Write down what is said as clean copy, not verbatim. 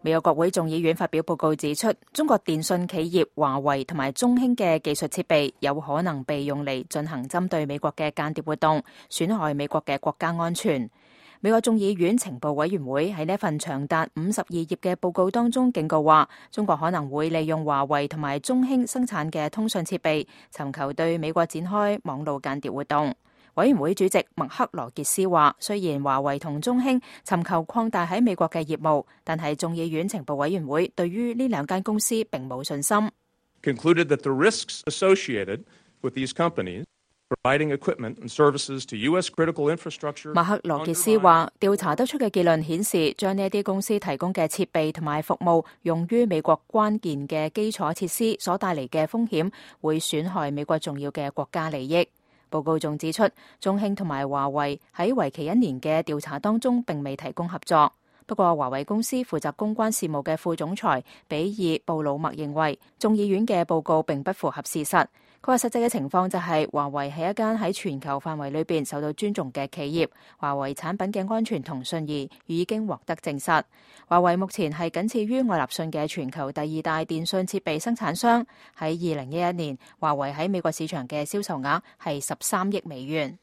美國國會眾議院發表報告指出，中國電信企業華為同埋中興嘅技術設備有可能被用嚟進行針對美國嘅間諜活動，損害美國嘅國家安全。美國眾議院情報委員會喺呢份長達52頁嘅報告當中警告話，中國可能會利用華為同埋中興生產嘅通訊設備，尋求對美國展開網路間諜活動。委員會主席麥克羅傑斯話，雖然華為同中興尋求擴大喺美國嘅業務，但係眾議院情報委員會對於呢兩間公司並冇信心。Concluded that the risks associated with these companies providing equipment and services to U.S. critical infrastructure。麥克羅傑斯話，調查得出嘅結論顯示，將呢啲公司提供嘅設備同埋服務用於美國關鍵嘅基礎設施所帶嚟嘅風險，會損害美國重要嘅國家利益。報告仲指出，中興同埋華為喺為期1年嘅調查當中並未提供合作。不過，華為公司負責公關事務嘅副總裁比爾布魯默認為，眾議院嘅報告並不符合事實。佢話實際嘅情況就係，華為係一間喺全球範圍裏邊受到尊重嘅企業，華為產品嘅安全同信譽已經獲得證實。華為目前係僅次於愛立信嘅全球第2大電信設備生產商。喺2011年，華為喺美國市場嘅銷售額係13億美元。